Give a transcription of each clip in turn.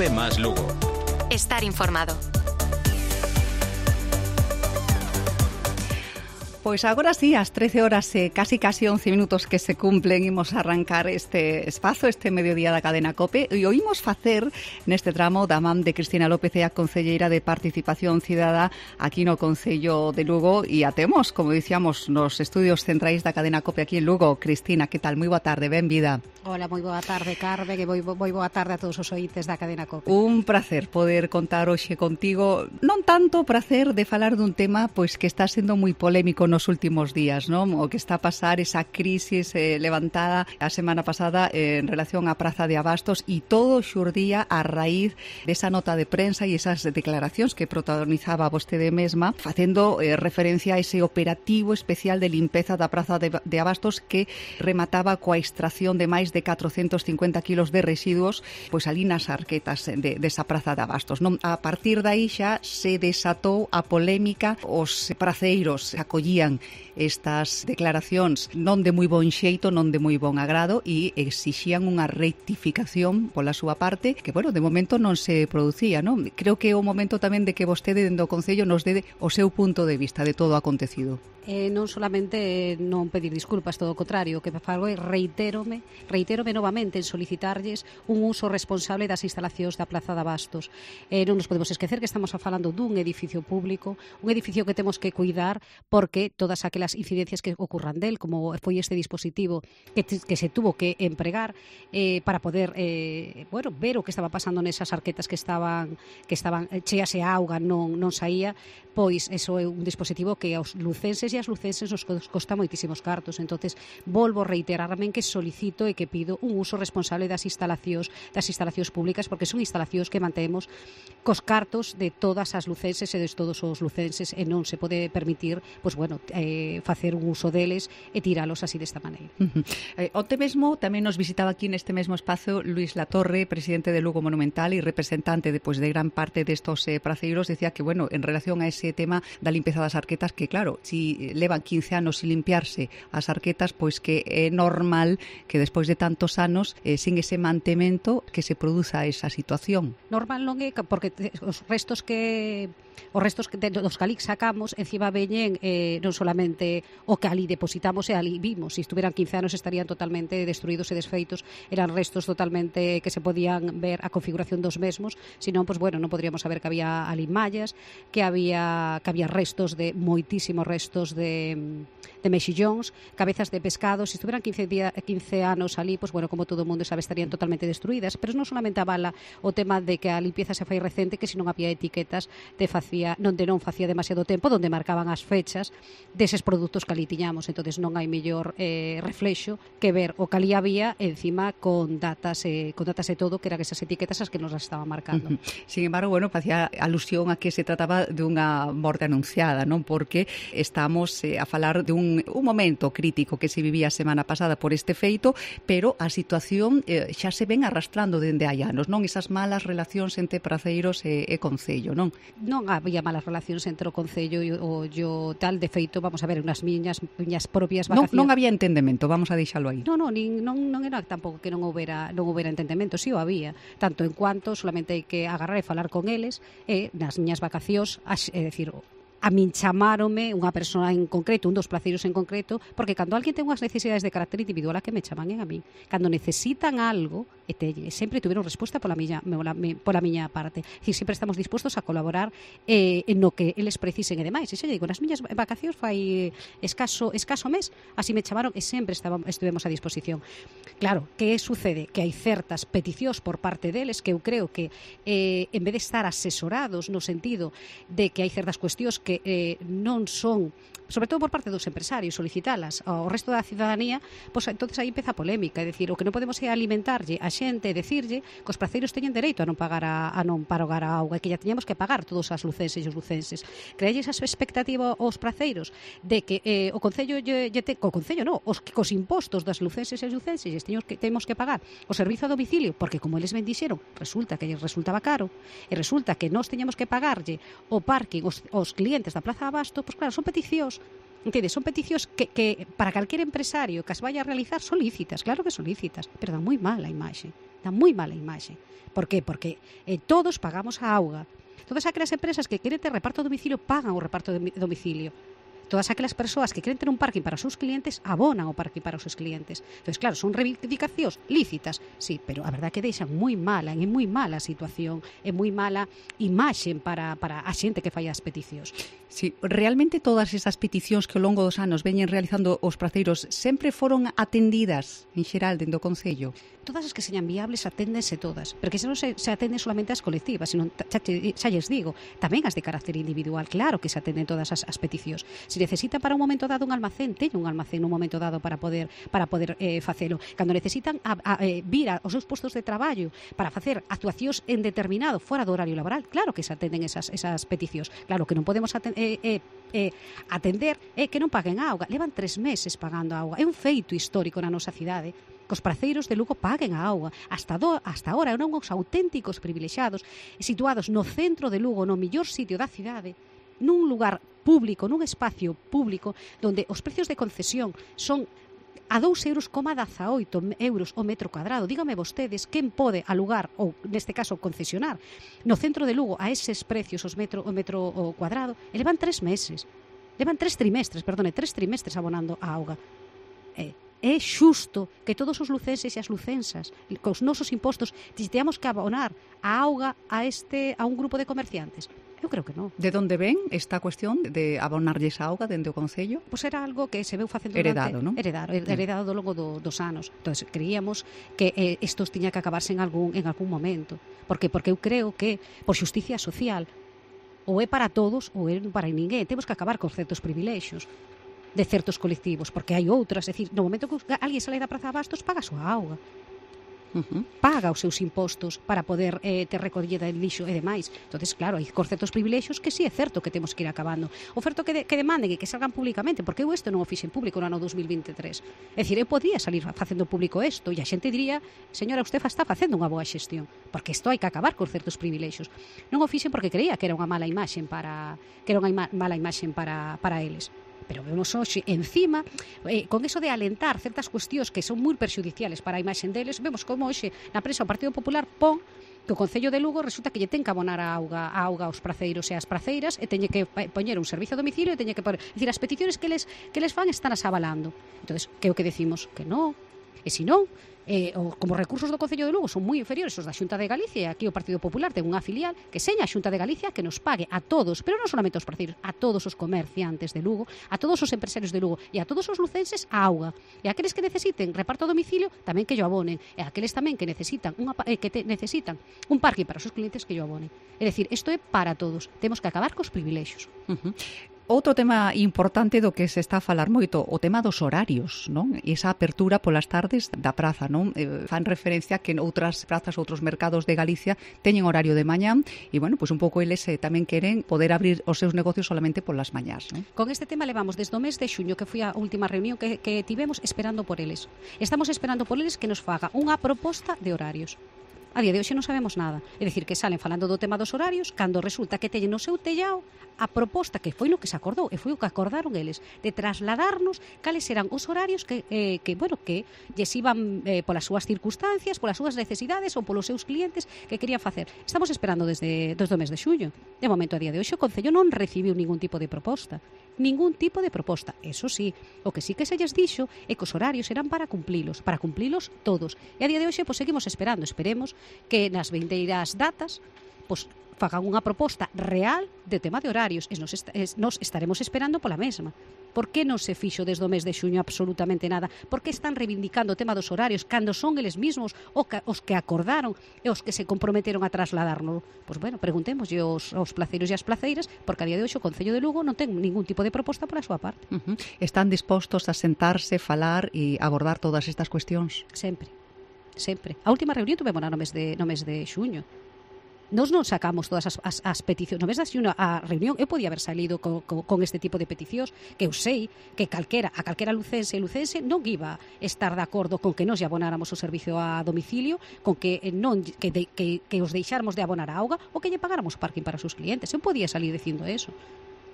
COPE más Lugo. Estar informado. Pois agora sí, ás 13 horas e casi 11 minutos que se cumplen, imos arrancar este espazo, este mediodía da cadena COPE, e oímos facer neste tramo da man de Cristina López, a concelleira de Participación Cidadá aquí no Concello de Lugo, e a temos, como dicíamos, nos estudios centrais da cadena COPE aquí en Lugo. Cristina, que tal? Moi boa tarde, benvida. Hola, moi boa tarde, Carme, que moi boa tarde a todos os ointes da cadena COPE. Un placer poder contar hoxe contigo, non tanto prazer de falar dun tema pois que está sendo moi polémico nos últimos días, non? O que está a pasar esa crisis levantada a semana pasada en relación á Praza de Abastos, e todo xurdía a raíz desa nota de prensa e esas declaracións que protagonizaba vostede mesma, facendo referencia a ese operativo especial de limpeza da Praza de Abastos que remataba coa extracción de máis de 450 kilos de residuos pois ali nas arquetas desa Praza de Abastos, non? A partir dai xa se desatou a polémica, os praceiros acollían estas declaracións non de moi bon xeito, non de moi bon agrado, e exixían unha rectificación pola súa parte, que, bueno, de momento non se producía, non? Creo que é o momento tamén de que vostede dentro do Concello nos dé o seu punto de vista de todo o acontecido. Non solamente non pedir disculpas, todo o contrario, o que fago é reitérome novamente en solicitarlles un uso responsable das instalacións da Praza de Abastos. Non nos podemos esquecer que estamos falando dun edificio público, un edificio que temos que cuidar, porque todas aquelas incidencias que ocurran del, como foi este dispositivo que se tuvo que empregar para poder ver o que estaba pasando nesas arquetas que estaban cheas e a auga non saía, pois eso é un dispositivo que aos lucenses e as lucenses nos costa moitísimos cartos. Entonces volvo a reiterarme que solicito e que pido un uso responsable das instalacións públicas, porque son instalacións que mantemos cos cartos de todas as lucenses e de todos os lucenses, e non se pode permitir facer un uso deles e tiralos así desta maneira. Onte mesmo tamén nos visitaba aquí neste mesmo espazo Luis Latorre, presidente de Lugo Monumental e representante de gran parte destos praceiros. Decía que, bueno, en relación a ese tema da limpeza das arquetas, que claro, si levan 15 anos sin limpiarse as arquetas, pois que é normal que despois de tantos anos sin ese mantemento que se produza esa situación. Normal non é, porque os restos dos que ali sacamos encima veñen non solamente o que ali depositamos e ali vimos. Se estuveran 15 anos estarían totalmente destruídos e desfeitos, eran restos totalmente que se podían ver a configuración dos mesmos, senón, non podríamos saber que había ali mallas, que había restos de moitísimos restos de mexillóns, cabezas de pescado. Se estuveran 15 anos ali, como todo o mundo sabe, estarían totalmente destruídas. Pero non solamente avala o tema de que a limpieza se fai recente, que se non había etiquetas onde non facía demasiado tempo, onde marcaban as fechas deses produtos que ali tiñamos. Entonces non hai mellor reflexo que ver o que ali había encima con datas e todo, que eran esas etiquetas as que nos las estaban marcando. Sin embargo, facía alusión a que se trataba de unha morte anunciada, non? Porque estamos a falar de un momento crítico que se vivía a semana pasada por este feito, pero a situación xa se ven arrastrando dende hai anos, non? Esas malas relacións entre praceiros e Concello, non? Non había malas relacións entre o Concello e o tal, de feito, vamos a ver, unhas miñas propias vacacións. Non había entendemento, vamos a deixalo aí. Non era tampouco que non houbera entendemento, si o había, tanto en cuanto solamente hai que agarrar e falar con eles, e nas miñas vacacións, é dicir, a min chamáronme unha persoa en concreto, un dos placeiros en concreto, porque cando alguén ten unhas necesidades de carácter individual, a que me chaman a mí. Cando necesitan algo, sempre tuveron resposta pola miña parte. É dicir, sempre estamos dispostos a colaborar en no que eles precisen e demais. E xa digo, nas miñas vacacións fai escaso mes, así me chamaron e sempre estivemos a disposición. Claro, que sucede? Que hai certas peticións por parte deles que eu creo que en vez de estar asesorados no sentido de que hai certas cuestións que non son, sobre todo por parte dos empresarios, solicitalas ao resto da cidadanía, pois entonces aí empeza a polémica. É dicir, o que non podemos é alimentarlle a xente e decirlle que os praceiros teñen dereito a non pagar a auga, e que ya teñamos que pagar todos as lucenses e os lucenses. Crealles esa expectativa aos praceiros de que o Concello cos impostos das lucenses e os lucenses temos que pagar o servizo a domicilio, porque como eles ben dixeron, resulta que lles resultaba caro, e resulta que nós teñamos que pagarlle o parking aos clientes da Praza Abasto, pois claro, son peticións Entendes? Son peticións que para calquer empresario que as vaya a realizar son lícitas, claro que son lícitas, pero dá moi mala imaxe. Dá moi mala imaxe. Por qué? Porque todos pagamos a auga. Todas aquelas empresas que queren ter reparto a domicilio pagan o reparto de domicilio. Todas aquelas persoas que queren ter un parking para os seus clientes abonan o parking para os seus clientes. Entón, claro, son reivindicacións lícitas, sí, pero a verdade que deixan moi mala, é moi mala a situación, é moi mala imaxe para a xente que fai as peticións. Sí, realmente todas esas peticións que ao longo dos anos veñen realizando os praceiros sempre foron atendidas en xeral dentro do Concello? Todas as que señan viables aténdense todas, porque se non se atenden solamente as colectivas, senón, xa lles digo, tamén as de carácter individual, claro que se atenden todas as peticións. Se necesita para un momento dado un almacén, teño un almacén nun momento dado para poder facelo. Cando necesitan vir aos seus postos de traballo para facer actuacións en determinado fora do horario laboral, claro que se atenden esas peticións. Claro que non podemos atender que non paguen a auga. Levan 3 meses pagando a auga. É un feito histórico na nosa cidade que os praceiros de Lugo paguen a auga. Hasta ahora eran uns auténticos privilexiados situados no centro de Lugo, no mellor sitio da cidade, nun lugar público, nun espacio público, donde os precios de concesión son a 2,18 euros o metro cuadrado. Dígame vostedes quen pode alugar, ou neste caso concesionar, no centro de Lugo a eses precios o metro cuadrado, e levan 3 meses. Levan 3 trimestres abonando a auga. É xusto que todos os lucenses e as lucensas, cos nosos impostos, teamos que abonar a auga a un grupo de comerciantes? Eu creo que non. De onde ven esta cuestión de abonarlles a auga dende o Concello? Pois era algo que se veu facendo heredado, non? Heredado ao longo dos anos. Entón, creíamos que isto tiña que acabarse en algún momento. Por qué? Porque eu creo que, por xusticia social, ou é para todos ou é para ninguén. Temos que acabar con certos privilexios de certos colectivos, porque hai outras, é dicir, no momento que alguén sale da Praza de Bastos, paga a súa auga. Paga os seus impostos para poder ter recollida de lixo e demais. Entonces, claro, hai certos privilexios que sí é certo que temos que ir acabando. O certo que demanden e que salgan públicamente, porque eu isto non o fixen público no ano 2023. É dicir, eu podría salir facendo público isto e a xente diría, señora, usted está facendo unha boa xestión, porque isto hai que acabar con certos privilexios. Non o fixen porque creía que era unha mala imaxe para eles. Pero vemos hoxe, encima, con eso de alentar certas cuestións que son moi perxudiciales para a imaxe deles, vemos como hoxe na prensa o Partido Popular pon que o Concello de Lugo resulta que lle ten que abonar a auga aos praceiros e as praceiras e teñe que poñer un servicio a domicilio e teñe que poner, é dicir, as peticións que les fan están as avalando. Entonces, que é o que decimos? Que non. E se non, como recursos do Concello de Lugo son moi inferiores aos da Xunta de Galicia, e aquí o Partido Popular ten unha filial que seña a Xunta de Galicia que nos pague a todos, pero non solamente aos praceiros, a todos os comerciantes de Lugo, a todos os empresarios de Lugo e a todos os lucenses a auga. E aqueles que necesiten reparto a domicilio tamén que yo abonen, e aqueles tamén que necesitan necesitan un parking para os seus clientes que yo abonen. É dicir, isto é para todos. Temos que acabar cos privilexios. Outro tema importante do que se está a falar moito, o tema dos horarios, non? E esa apertura polas tardes da praza, non? Fan referencia que en outras prazas, outros mercados de Galicia teñen horario de mañán e, bueno, pois un pouco eles tamén queren poder abrir os seus negocios solamente polas mañás, non? Con este tema levamos desde o mes de xuño, que foi a última reunión que tivemos, esperando por eles. Estamos esperando por eles que nos faga unha proposta de horarios. A día de hoxe non sabemos nada. É dicir, que salen falando do tema dos horarios cando resulta que teñen no seu tellao a proposta que foi no que se acordou e foi o que acordaron eles de trasladarnos cales eran os horarios que lles iban polas súas circunstancias, polas súas necesidades ou polos seus clientes que querían facer. Estamos esperando desde o mes de xullo. De momento, a día de hoxe, o Concello non recibiu ningún tipo de proposta. Ningún tipo de proposta. Eso sí, o que sí que se lles dixo é que os horarios eran para cumplilos todos. E a día de hoxe, seguimos esperando. Esperemos que nas vindeiras datas fagan unha proposta real de tema de horarios e nos estaremos esperando pola mesma. Por que non se fixo desde o mes de xuño absolutamente nada? Por que están reivindicando o tema dos horarios cando son eles mesmos os que acordaron e os que se comprometeron a trasladárnoslo? Pois bueno, preguntémoslle aos placeiros e as placeiras, porque a día de hoxe o Concello de Lugo non ten ningún tipo de proposta pola súa parte. Están dispostos a sentarse, falar e abordar todas estas cuestións? Sempre. A última reunión tuvemos no mes de xuño. Nos non sacamos todas as peticións. No mes de xuño a reunión eu podía haber salido con este tipo de peticións, que eu sei que a calquera lucense non iba estar de acordo con que nos lle abonáramos o servicio a domicilio, con que os deixáramos de abonar a auga ou que lle pagáramos o parking para os seus clientes. Eu podía salir dicindo eso.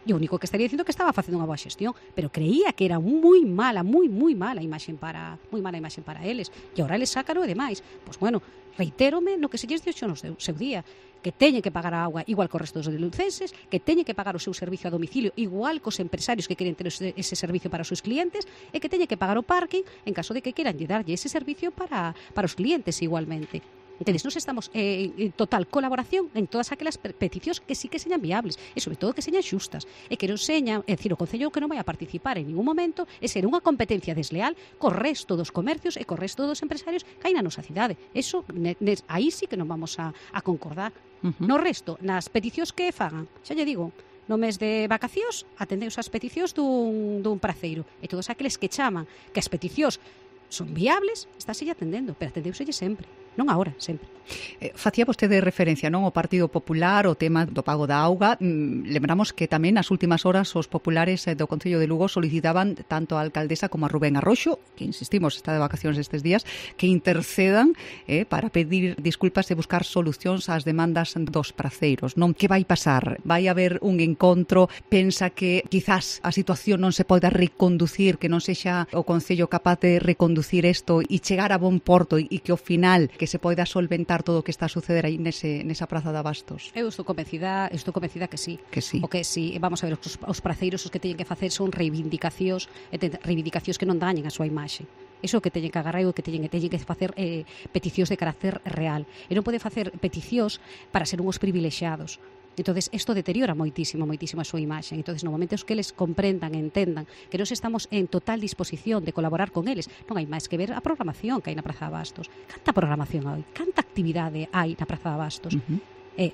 E o único que estaría dicindo que estaba facendo unha boa xestión, pero creía que era moi mala imaxe para eles. E agora eles sácano e demais. Pois bueno, reitérome no que se lles dixo no seu día, que teñen que pagar a auga igual que o resto dos lucenses, que teñen que pagar o seu servicio a domicilio igual cos empresarios que queren ter ese servicio para os seus clientes, e que teñen que pagar o parking en caso de que queran darlle ese servicio para os clientes igualmente. Entonces, nos estamos en total colaboración en todas aquelas peticións que sí que señan viables e, sobre todo, que señan xustas e que non señan, é dicir, o Concello que non vai a participar en ningún momento é ser unha competencia desleal co resto dos comercios e co resto dos empresarios que hai na nosa cidade. Eso, aí sí que non vamos a concordar. No resto, nas peticións que fagan, xa lle digo, no mes de vacacións atendeus as peticións dun praceiro e todos aqueles que chaman que as peticións son viables, estáse atendendo, pero atendeuselle sempre, non agora, sempre. Facía vostede referencia, non, ao Partido Popular, o tema do pago da auga. Lembramos que tamén nas últimas horas os populares do Concello de Lugo solicitaban tanto a alcaldesa como a Rubén Arroxo, que insistimos, está de vacacións estes días, que intercedan para pedir disculpas e buscar solucións ás demandas dos praceiros, non? Que vai pasar? Vai haber un encontro? Pensa que quizás a situación non se poida reconducir, que non sexa o Concello capaz de reconducir isto e chegar a bon porto e que ao final que se poida solventar todo o que está a suceder aí nesa praza de Abastos? Eu estou convencida que sí. Que sí. O que sí, vamos a ver, os praceiros os que teñen que facer son reivindicacións que non dañen a súa imaxe. Iso que teñen que agarrar e o que teñen que facer peticións de carácter real. E non pode facer peticións para ser uns privilexiados. Entonces, isto deteriora moitísimo a súa imaxe. Entonces, no momento que eles comprendan e entendan que nós estamos en total disposición de colaborar con eles, non hai máis que ver a programación que hai na Praza de Abastos. Canta programación hai? Canta actividade hai na Praza de Abastos? É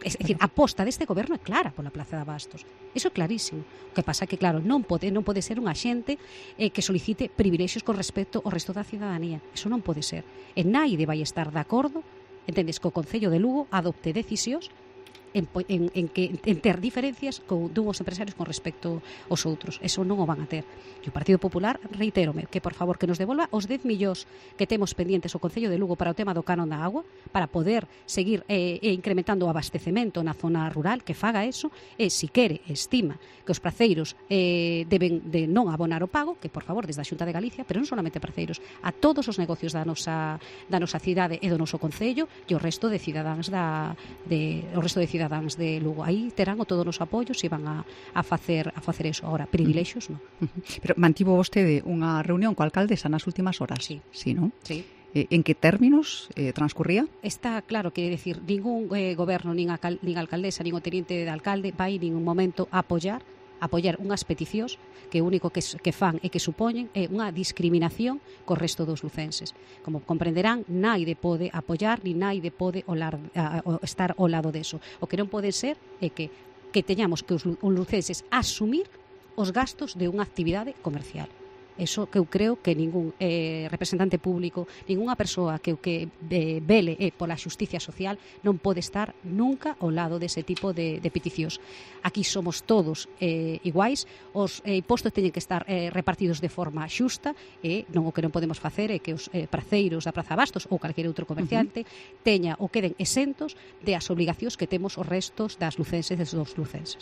dicir, a aposta deste goberno é clara pola Praza de Abastos. Iso é clarísimo. O que pasa é que, claro, non pode ser unha xente que solicite privilexios con respecto ao resto da cidadanía. Iso non pode ser. E naide vai estar de acordo, entendes, que o Concello de Lugo adopte decisións en ter diferencias dúns empresarios con respecto aos outros. Eso non o van a ter. E o Partido Popular, reitérome, que por favor que nos devolva os 10 millóns que temos pendientes o Concello de Lugo para o tema do canon da agua, para poder seguir incrementando o abastecemento na zona rural, que faga eso, e se quere, estima que os praceiros deben de non abonar o pago, que por favor desde a Xunta de Galicia, pero non solamente praceiros, a todos os negocios da nosa cidade e do noso Concello e o resto de cidadáns cidadáns de Lugo. Aí terán o todo o noso apoio se van a facer eso. Agora, privilexios non. Pero mantivo vostede unha reunión coa alcaldesa nas últimas horas? Sí. Sí, non? Sí. En que términos transcurría? Está claro que, decir, ningún goberno, nin alcaldesa, nin o teniente de alcalde vai ningún momento a apoiar unhas peticións que o único que fan e que supoñen é unha discriminación co resto dos lucenses. Como comprenderán, naide pode apoiar ni naide pode estar ao lado deso. O que non pode ser é que teñamos que os lucenses asumir os gastos de unha actividade comercial. Eso que eu creo que ningún representante público, ningunha persoa que vele pola xusticia social non pode estar nunca ao lado dese tipo de peticións. Aquí somos todos iguais, os impostos teñen que estar repartidos de forma xusta e o que non podemos facer é que os praceiros da Praza Abastos ou calquer outro comerciante teña ou queden exentos de as obligacións que temos os restos das lucenses e dos lucenses.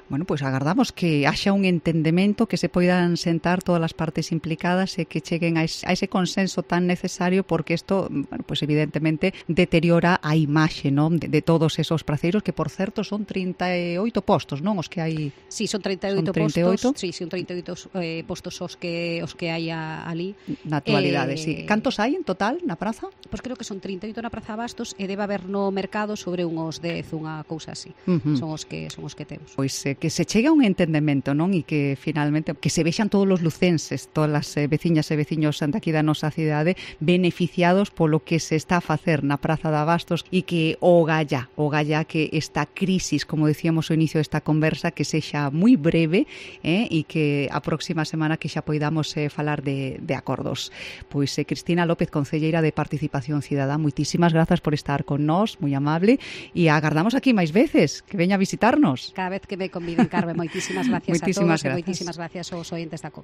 Bueno, pois agardamos que haxa un entendemento, que se poidan sentar todas as partes implicadas e que cheguen a ese consenso tan necesario, porque isto, bueno, pues evidentemente deteriora a imaxe, non, de todos esos praceiros, que por certo son 38 postos, non, os que hai. Sí, son 38 postos. Sí, son 38 postos os que hai ali. Na actualidade, sí. Cantos hai en total na praza? Pois creo que son 38 na Praza Abastos e debe haber no mercado sobre uns 10, unha cousa así. Son os que temos. Pois que se chegue a un entendemento, non, e que finalmente que se vexan todos os lucenses, todas as veciñas e veciños daqui da nosa cidade beneficiados polo que se está a facer na Praza de Abastos e que o galla que esta crisis, como decíamos ao inicio desta conversa, que sexa moi breve e que a próxima semana que xa poidamos falar de acordos. Pois Cristina López, concelleira de Participación Cidadá, moitísimas grazas por estar con nós, moi amable, e agardamos aquí máis veces, que veña a visitarnos. Cada vez que me conviden, Carmen, moitísimas gracias a todos e moitísimas gracias aos ointes da COP.